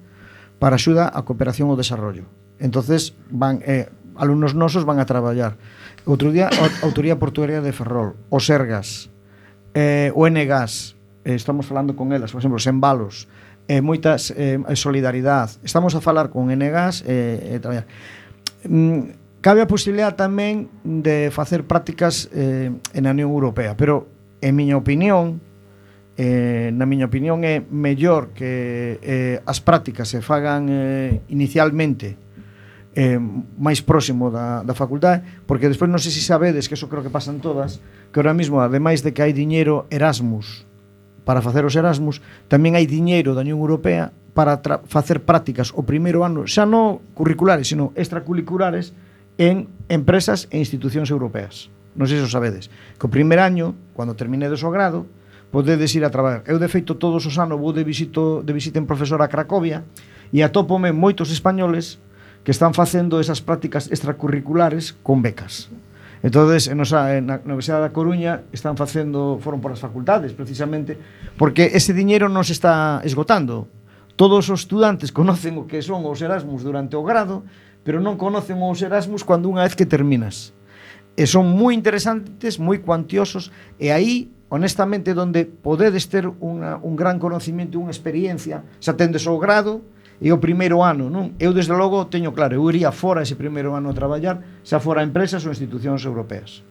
para axuda á cooperación ao desarrollo. Entonces, van, eh, alumnos nosos van a traballar. Outro día, a Autoría Portuaria de Ferrol, o Sergas, eh, o Engas, eh, estamos falando con elas, por exemplo, Sembalos, eh, moitas eh, solidaridade. Estamos a falar con Engas e eh, traballar. Mm, Cabe a posibilidade tamén de facer prácticas eh, en a Unión Europea, pero, en miña opinión, eh, na miña opinión é mellor que eh, as prácticas se fagan eh, inicialmente eh, máis próximo da, da facultade, porque despois non sei se sabedes, que eso creo que pasan todas, que ahora mismo, ademais de que hai diñeiro Erasmus para facer os Erasmus, tamén hai diñeiro da Unión Europea para facer prácticas o primeiro ano, xa non curriculares, sino extracurriculares, en empresas e institucións europeas. Non sei se o sabedes. Que o primer año, cando terminedes o grado, podedes ir a traballar. Eu, de feito, todos os anos vou de, visito, de visita en profesor a Cracovia, E atópome moitos españoles que están facendo esas prácticas extracurriculares con becas. Entonces, en nosa, na Universidade da Coruña están facendo, foron por as facultades, precisamente, porque ese diñeiro non se está esgotando. Todos os estudantes conocen o que son os Erasmus durante o grado, pero non conocen os Erasmus cando unha vez que terminas. E son moi interesantes, moi cuantiosos, e aí, honestamente, donde podedes ter unha, un gran conocimiento e unha experiencia, xa tendes o grado e o primeiro ano, non? Eu, desde logo, teño claro, eu iría fora ese primeiro ano a traballar, xa fora a empresas ou institucións europeas.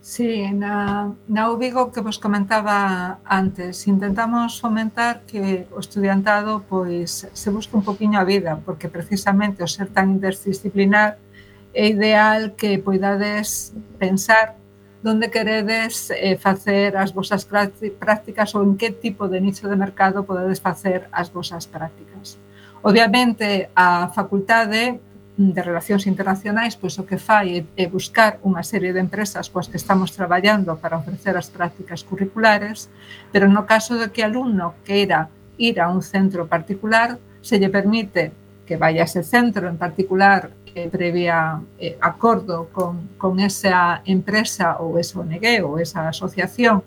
Sí, na, na U Vigo que vos comentaba antes, intentamos fomentar que o estudiantado pois se busque un poquinho a vida, porque precisamente o ser tan interdisciplinar é ideal que poidades pensar onde queredes eh, facer as vosas prácticas ou en que tipo de nicho de mercado podedes facer as vosas prácticas. Obviamente, a Facultade de Relacións Internacionais pois o que fai é buscar unha serie de empresas coas que estamos traballando para ofrecer as prácticas curriculares, pero no caso de que o alumno queira ir a un centro particular, se lle permite que vaya a ese centro en particular eh, previa eh, acordo con, con esa empresa ou esa O N G ou esa asociación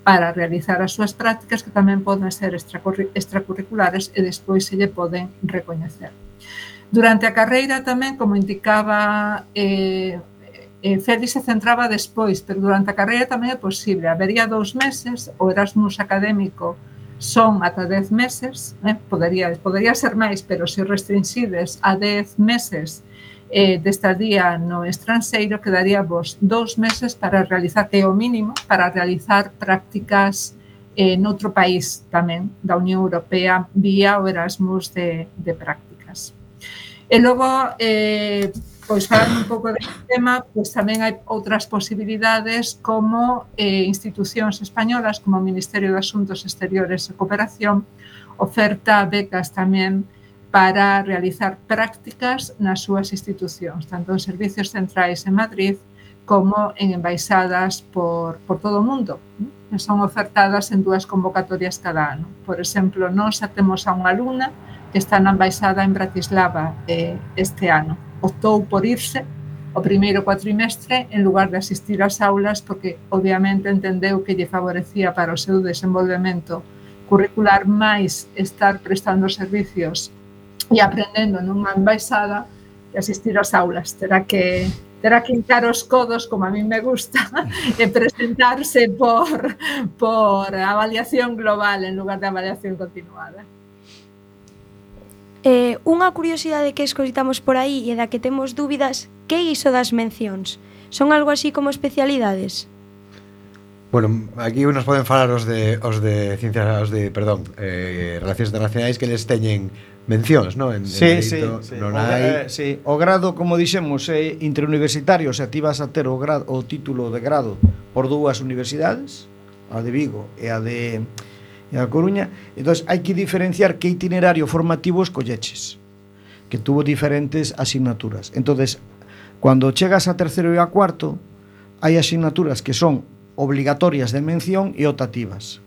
para realizar as súas prácticas que tamén poden ser extracurriculares e despois se lle poden recoñecer. Durante a carreira tamén, como indicaba eh, eh, Félix se centraba despois, pero durante a carreira tamén é posible. Habería dous meses, o Erasmus académico son ata dez meses, eh, podería, podería ser máis, pero se restringides a dez meses eh, de estadía no estranxeiro, quedaría vos dous meses para realizar, que é o mínimo, para realizar prácticas eh, noutro país tamén da Unión Europea vía o Erasmus de, de prácticas. E logo, eh, pois falando un pouco deste tema, pois tamén hai outras posibilidades como eh, institucións españolas, como o Ministerio de Asuntos Exteriores e Cooperación, oferta becas tamén para realizar prácticas nas súas institucións, tanto en servicios centrais en Madrid como en embaixadas por, por todo o mundo. E son ofertadas en dúas convocatorias cada ano. Por exemplo, nós xa temos a unha alumna que está na embaixada en Bratislava eh, este ano. Optou por irse o primeiro cuatrimestre en lugar de asistir ás aulas porque obviamente entendeu que lle favorecía para o seu desenvolvemento curricular máis estar prestando servicios e aprendendo nunha embaixada e asistir ás aulas. Terá que terá que hincar os codos, como a mí me gusta, e presentarse por, por avaliación global en lugar de avaliación continuada. Eh, unha curiosidade que escoitamos por aí e da que temos dúbidas, que é iso das mencións? Son algo así como especialidades? Bueno, aquí nos poden falar os de os de ciencias, os de, perdón, eh, relacións internacionais que les teñen mencións, non? En, sí, en sí, dereito, sí. Non O, hai... eh, sí. O grado, como dixemos, é interuniversitario, se ti vas a ter o, grado, o título de grado por dúas universidades, a de Vigo e a de e a Coruña, entón hai que diferenciar que itinerario formativo escolleches, que tuvo diferentes asignaturas. Entonces, cando chegas a terceiro e a cuarto, hai asignaturas que son obligatorias de mención e optativas.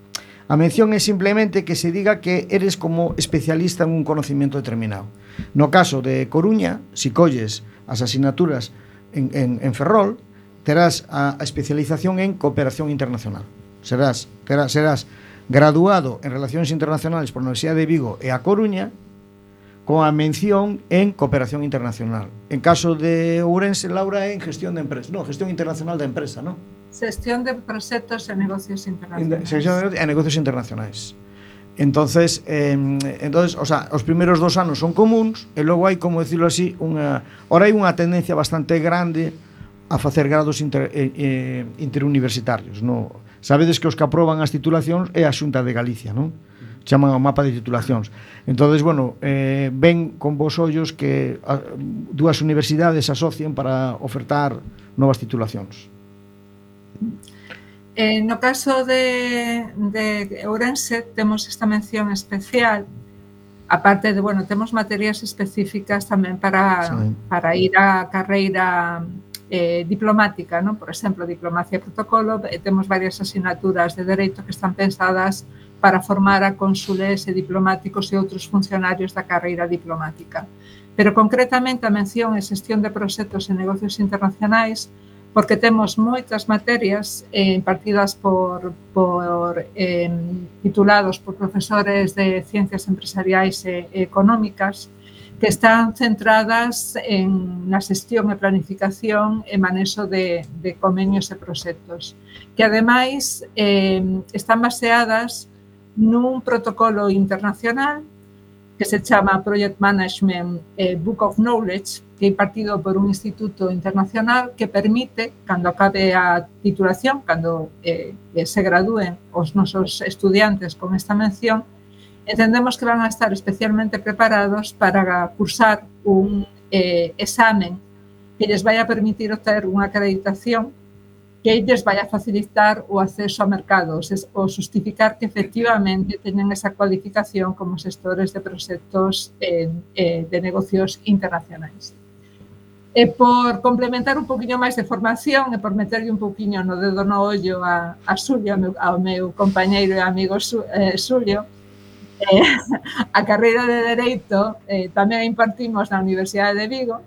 A mención é simplemente que se diga que eres como especialista en un conocimiento determinado. No caso de Coruña, si colles as asignaturas en, en, en Ferrol, terás a, a especialización en cooperación internacional. Serás, serás, serás graduado en Relacións Internacionales por a Universidade de Vigo e a Coruña con a mención en Cooperación Internacional. En caso de Ourense, Laura, é en Gestión de Empresa. No, Gestión Internacional da Empresa, non? Xestión de proxectos e negocios internacionais. Xestión de negocios internacionais. Entonces, eh, entonces, o sea, os primeiros dos anos son comuns e logo hai, como decirlo así, unha ora hai unha tendencia bastante grande a facer grados inter, eh, eh, interuniversitarios, no? Sabedes que os que aproban as titulacións é a Xunta de Galicia, non? Chaman o mapa de titulacións. Entonces, bueno, eh, ven con vos ollos que a, dúas universidades se asocien para ofertar novas titulacións. Eh, no caso de, de Ourense temos esta mención especial, aparte de, bueno, temos materias específicas tamén para, sí. para ir á carreira eh, diplomática, ¿no? Por exemplo, diplomacia e protocolo, e temos varias asignaturas de dereito que están pensadas para formar a cónsules e diplomáticos e outros funcionarios da carreira diplomática. Pero concretamente a mención é xestión de proxectos e negocios internacionais, porque temos moitas materias eh, impartidas por, por eh, titulados por profesores de ciencias empresariais e, e económicas que están centradas en na xestión e planificación e manexo de, de convenios e proxectos, que ademais eh, están baseadas nun protocolo internacional que se chama Project Management eh, Book of Knowledge, que é impartido por un instituto internacional que permite, cando acabe a titulación, cando eh, se gradúen os nosos estudiantes con esta mención, entendemos que van a estar especialmente preparados para cursar un eh, examen que lles vai a permitir obter unha acreditación que lles vai a facilitar o acceso ao mercado, o justificar que efectivamente teñen esa cualificación como xestores de proxectos eh, eh, de negocios internacionais. E por complementar un poquinho máis de formación e por meterlle un poquinho no dedo no ollo a, a Xulio, ao meu, ao meu compañeiro e amigo eh, Xulio, eh, a carreira de Dereito eh, tamén a impartimos na Universidade de Vigo,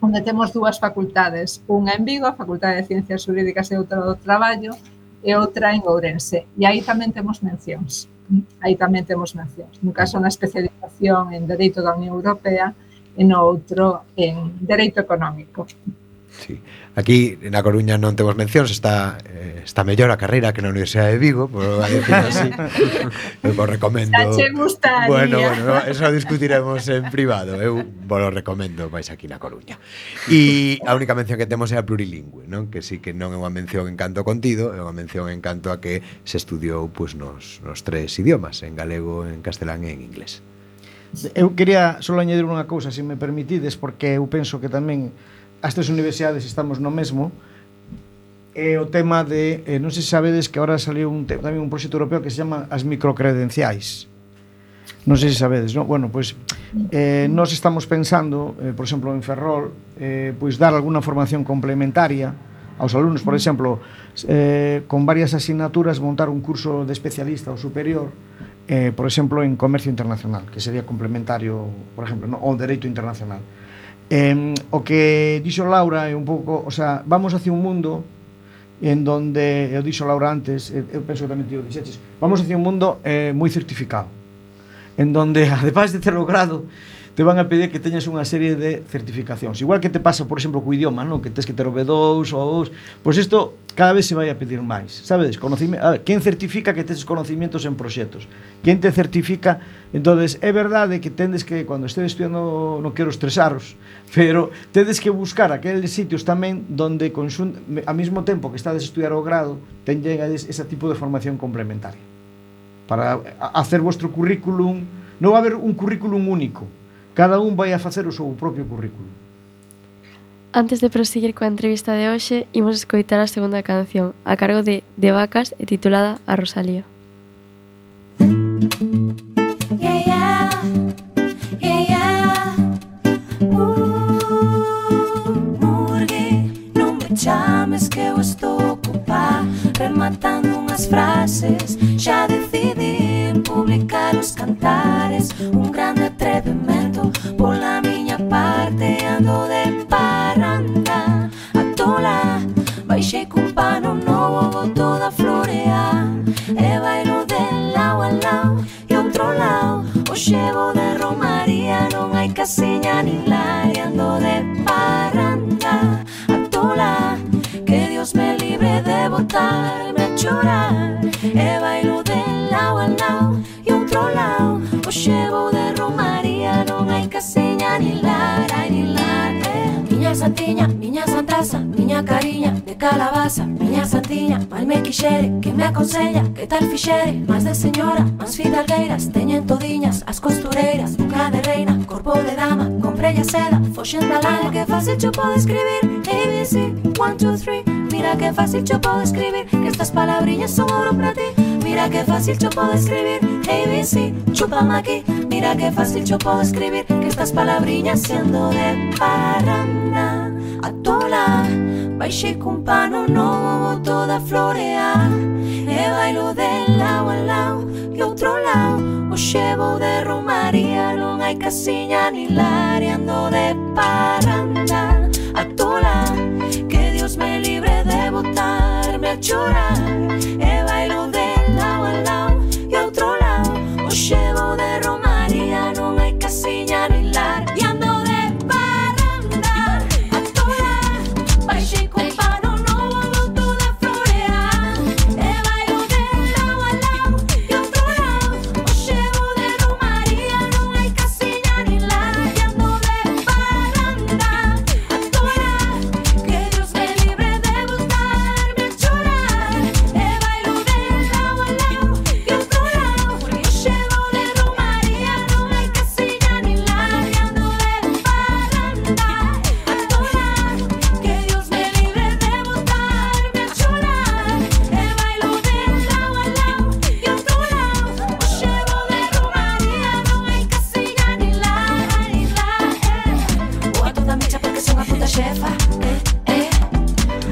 onde temos dúas facultades, unha en Vigo, a Facultade de Ciencias Xurídicas e outra do Traballo, e outra en Ourense. E aí tamén temos mencións. Aí tamén temos mencións. No caso, na especialización en Dereito da Unión Europea e no outro en Dereito Económico. Sí. Aquí na Coruña non temos mencións, está eh, está mellor a carreira que na Universidade de Vigo, por decir así. Eu vos recomendo. Xa che gustaría. Bueno, bueno, eso discutiremos en privado. Eu vos lo recomendo máis aquí na Coruña. E a única mención que temos é a plurilingüe, non? Que sí que non é unha mención en canto contido, é unha mención en canto a que se estudiou pois, nos, nos tres idiomas, en galego, en castelán e en inglés. Eu quería só añadir unha cousa, se me permitides, porque eu penso que tamén as tres universidades estamos no mesmo, é o tema de, eh, non sei se sabedes que agora saliu un, tamén un proxecto europeo que se chama as microcredenciais. Non sei se sabedes, non? Bueno, pois eh, nós estamos pensando, eh, por exemplo, en Ferrol, eh, pois dar alguna formación complementaria aos alumnos, por exemplo, eh, con varias asignaturas montar un curso de especialista ou superior, eh, por exemplo, en comercio internacional, que sería complementario, por exemplo, no? O dereito internacional. Eh, o que dixo Laura é un pouco, o sea, vamos hacia un mundo en donde, eu dixo Laura antes, eu penso que tamén te o dixeches, vamos hacia un mundo eh, moi certificado, en donde, ademais de ter logrado, te van a pedir que teñas unha serie de certificacións. Igual que te pasa, por exemplo, co idioma, non? Que tens que ter o B dous ou os... Pois isto cada vez se vai a pedir máis. Sabedes? Conocime... A ver, quen certifica que tes conocimientos en proxectos? Quen te certifica? Entonces, é verdade que tendes que, cando estedes estudiando, non quero estresaros, pero tedes que buscar aqueles sitios tamén donde, consun... ao mesmo tempo que estades a estudiar o grado, teñades ese tipo de formación complementaria. Para hacer vuestro currículum... Non va a haber un currículum único. Cada un vai a facer o seu propio currículum. Antes de proseguir coa entrevista de hoxe, imos escoitar a segunda canción, a cargo de De Vacas e titulada A Rosalía. Yeah, yeah, yeah, yeah. Uh, Murgui, non me chames que eu estou ocupada rematando unhas frases. Xa decidi publicar os cantares, un grande atrevimento pola miña parte. Ando de parranda a tola, baixei cun pano novo, vou toda florear e bailo de lao a lao e outro lao. O chevo de romaría, non hai casiña nin la. E ando de parranda a tola, que Dios me libre de botarme a chorar e bailo de lao a lao e outro lao. O chevo de romaría, non hai casiña nin la, nin la. Miña santiña, miña santaza, miña cariña de calabaza, miña santiña, mal me quixere, que me aconsella, que tal fixere, máis de señora, máis fidalgueiras, teñen todiñas as costureiras, boca de reina, corpo de dama, comprella seda, foxen da lana. Que fácil cho podo escribir, A B C, one, two, three. Mira que fácil cho podo escribir, que estas palabriñas son oro pra ti. Mira que fácil cho podo escribir, A B C, chúpame aquí. Mira que fácil yo puedo escribir, que estas palabriñas siendo de parranda a tola, baixei cun pano novo, vou toda florear e bailo de lao a lao e Hoxe vou de romaría, non hai casiña ni lar, e ando de parranda a tola. Que Dios me libre de botarme a chorar, e bailo de lado a lado e a outro lado. Hoxe vou de romaría, non hai casiña ni lar, e ando de parranda a tola. Baixei con pano novo, vou toda florear, e bailo de lado a lado e a outro lado. Hoxe vou de romaría, non hai casiña ni lar, e ando de parranda a tola. Que Dios me libre de botarme a chorar, e bailo de lado a lado e a outro lado. Hoxe vou de romaría, non hai casiña ni lar, e ando de parranda a tola. Que Dios me libre de botarme a chorar, e bailo de lado a lado e a outro lado. Hoxe vou de romaría, non hai casiña ni lar, ni lar, eh. Ou a toda mecha porque son a puta xefa, eh, eh.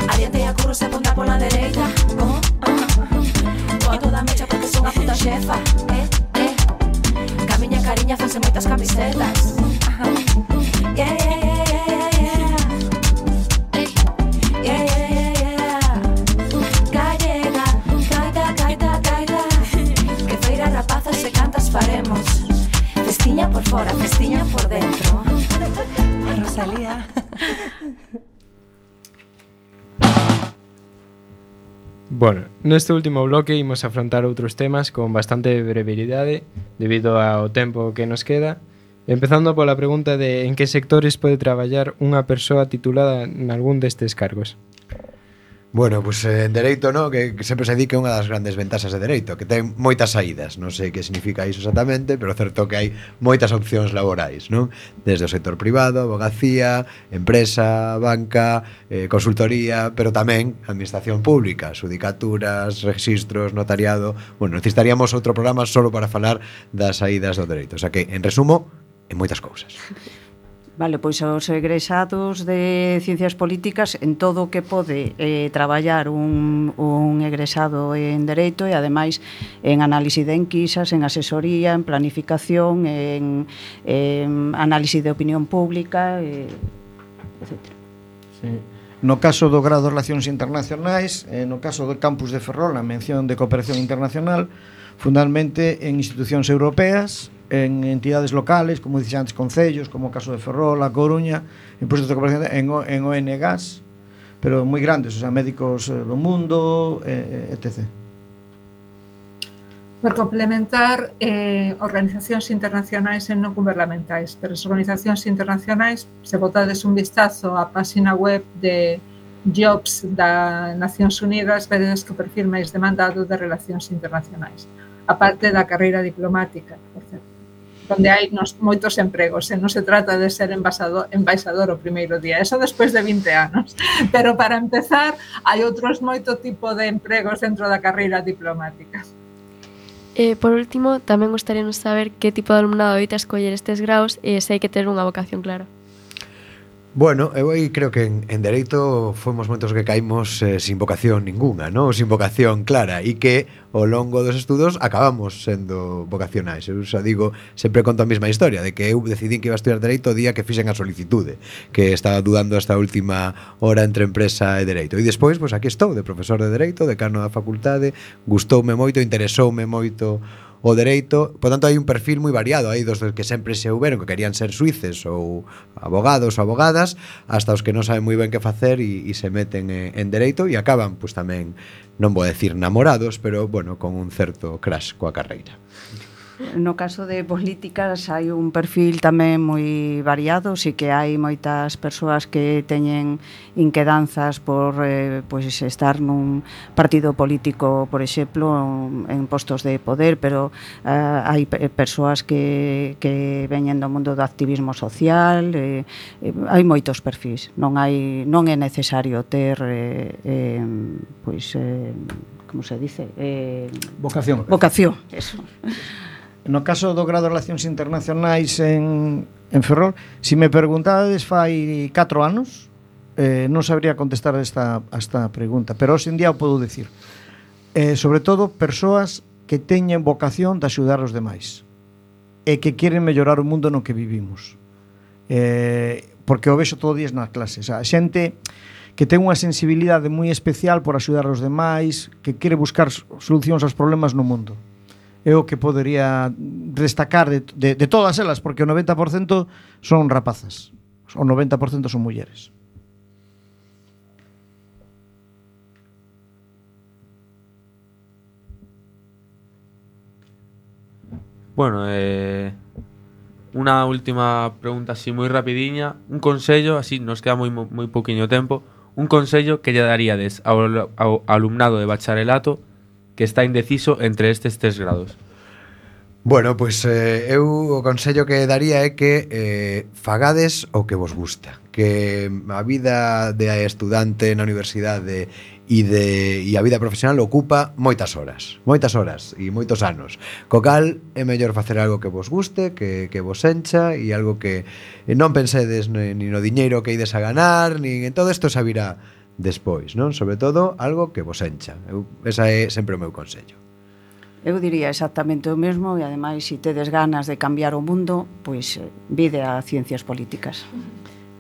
Adiante a curro se aponta pola dereita, oh, oh. Ou a toda mecha porque son a puta xefa, eh, eh. Camiña cariña fanse moitas camisetas, ajá. Yeah, yeah, yeah, yeah, yeah. Yeah, yeah, yeah, yeah. Gallega, gaita, gaita, gaita. Que feira rapazas e cantas faremos. Festiña por fora, festiña por dentro. Rosalía. Bueno, neste último bloque imos afrontar outros temas con bastante brevidade debido ao tempo que nos queda, empezando pola pregunta de en que sectores pode traballar unha persoa titulada nalgún destes cargos. Bueno, pois pues, en dereito, no, que, que sempre se di que é unha das grandes ventaxas de dereito, que ten moitas saídas, non sei que significa iso exactamente, pero certo que hai moitas opcións laborais, non? Desde o sector privado, abogacía, empresa, banca, eh, consultoría, pero tamén administración pública, xudicaturas, registros, notariado. Bueno, necesitaríamos outro programa solo para falar das saídas do dereito, o sea que, en resumo, en moitas cousas. Vale, pois os egresados de Ciencias Políticas en todo o que pode eh, traballar un, un egresado en Dereito e ademais en análise de enquisas, en asesoría, en planificación, en, en análise de opinión pública, eh, etcétera. Sí. No caso do grado de Relacións Internacionais, eh, no caso do campus de Ferrol, a mención de cooperación internacional, fundamentalmente en institucións europeas, en entidades locales, como dixen antes, concellos, como o caso de Ferrol, A Coruña, en proxectos de cooperación en, en O N Gs, pero moi grandes, o sea, médicos do mundo, eh, etcétera. Por complementar, eh, organizacións internacionais e non gubernamentais, pero as organizacións internacionais, se botades un vistazo á página web de Jobs da Nacións Unidas, vedes que o perfil máis demandado de relacións internacionais, aparte da carreira diplomática, por certo, onde hai nos, moitos empregos, e non se trata de ser embaixador, embaixador o primeiro día, eso despois de vinte anos, pero para empezar hai outros moito tipo de empregos dentro da carreira diplomática. E, por último, tamén gostaríamos saber que tipo de alumnado evita escoller estes graus e se hai que ter unha vocación clara. Bueno, eu aí creo que en, en Dereito fomos moitos que caímos eh, sin vocación ninguna, ¿no? Sin vocación clara, e que ao longo dos estudos acabamos sendo vocacionais. Eu xa digo, sempre conto a mesma historia, de que eu decidín que iba a estudiar Dereito o día que fixen a solicitude, que estaba dudando hasta a última hora entre empresa e Dereito. E despois, pois aquí estou, de profesor de Dereito, decano da facultade, gustoume moito, interesoume moito o dereito, por tanto hai un perfil moi variado, hai dos que sempre se houberon que querían ser suíces ou abogados ou abogadas, hasta os que non saben moi ben que facer e, e se meten en, en dereito e acaban, pois tamén, non vou decir namorados, pero, bueno, con un certo crash coa carreira. No caso de políticas hai un perfil tamén moi variado, si que hai moitas persoas que teñen inquedanzas por eh, pois estar nun partido político, por exemplo, en postos de poder, pero eh, hai persoas que, que veñen do mundo do activismo social, eh, eh, hai moitos perfis, non hai non é necesario ter eh, eh, pois eh, como se dice? Eh, vocación. Vocación, eso. No caso do grado de Relacións Internacionais en, en Ferrol, se me preguntades fai catro anos, eh, non sabría contestar esta, esta pregunta, pero hoxe en día o podo decir. Eh, sobre todo, persoas que teñen vocación de axudar os demais. e que queren mellorar o mundo no que vivimos. Eh, porque o vexo todo días nas clases. A xente que ten unha sensibilidade moi especial por axudar aos demais, que quere buscar solucións aos problemas no mundo. É o que podería destacar de, de, de todas elas, porque o noventa por cento son rapazas, o noventa por cento son mulleres. Bueno, eh, unha última pregunta así moi rapidiña. Un consello, así nos queda moi, moi pouquiño tempo. Un consello que lle daríades ao, ao alumnado de bacharelato que está indeciso entre estes tres grados. Bueno, pois eh, eu o consello que daría é que eh, fagades o que vos gusta, que a vida de estudante na universidade e de e a vida profesional ocupa moitas horas, moitas horas e moitos anos. Co cal é mellor facer algo que vos guste, que, que vos encha e algo que non pensedes ni no diñeiro que ides a ganar, nin en todo isto xa virá despois, non? Sobre todo algo que vos encha. Eu, esa é sempre o meu consello. Eu diría exactamente o mesmo e ademais se tedes ganas de cambiar o mundo, pois vide a ciencias políticas.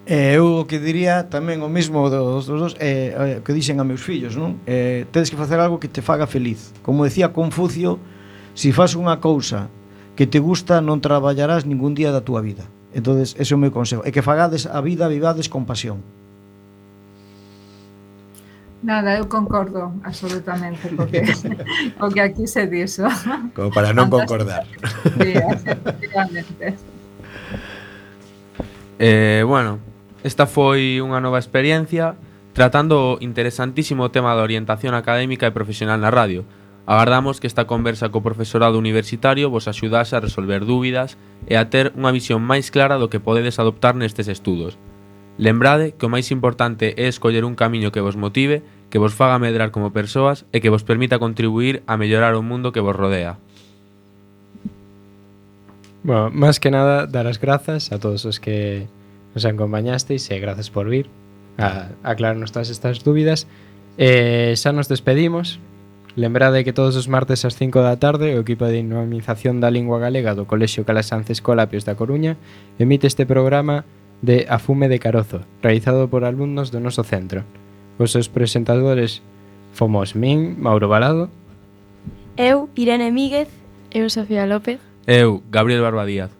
Eh, eu o que diría tamén o mesmo dos dos eh, que dixen a meus fillos, non? Eh, tedes que facer algo que te faga feliz. Como decía Confucio, se fas unha cousa que te gusta non traballarás ningún día da túa vida. Entonces, ese é o meu consejo, é que fagades a vida, vivades con pasión. Nada, eu concordo absolutamente porque, porque aquí se diso. Como para non concordar. Sí, efectivamente. Eh, bueno, esta foi unha nova experiencia tratando o interesantísimo tema da orientación académica e profesional na radio. Agardamos que esta conversa co profesorado universitario vos axudase a resolver dúbidas e a ter unha visión máis clara do que podedes adoptar nestes estudos. Lembrade que o máis importante é escoller un camiño que vos motive, que vos faga medrar como persoas e que vos permita contribuir a mellorar o mundo que vos rodea. Bueno, máis que nada, dar as grazas a todos os que nos acompañasteis e grazas por vir a aclararnos todas estas dúbidas. Eh, xa nos despedimos. Lembrade que todos os martes ás cinco da tarde o equipo de dinamización da lingua galega do Colexio Calasanz Escolapios da Coruña emite este programa de A Fume de Carozo, realizado por alumnos do noso centro. Os seus presentadores fomos min, Mauro Balado. Eu, Irene Míguez. Eu, Sofía López. Eu, Gabriel Barbadíaz.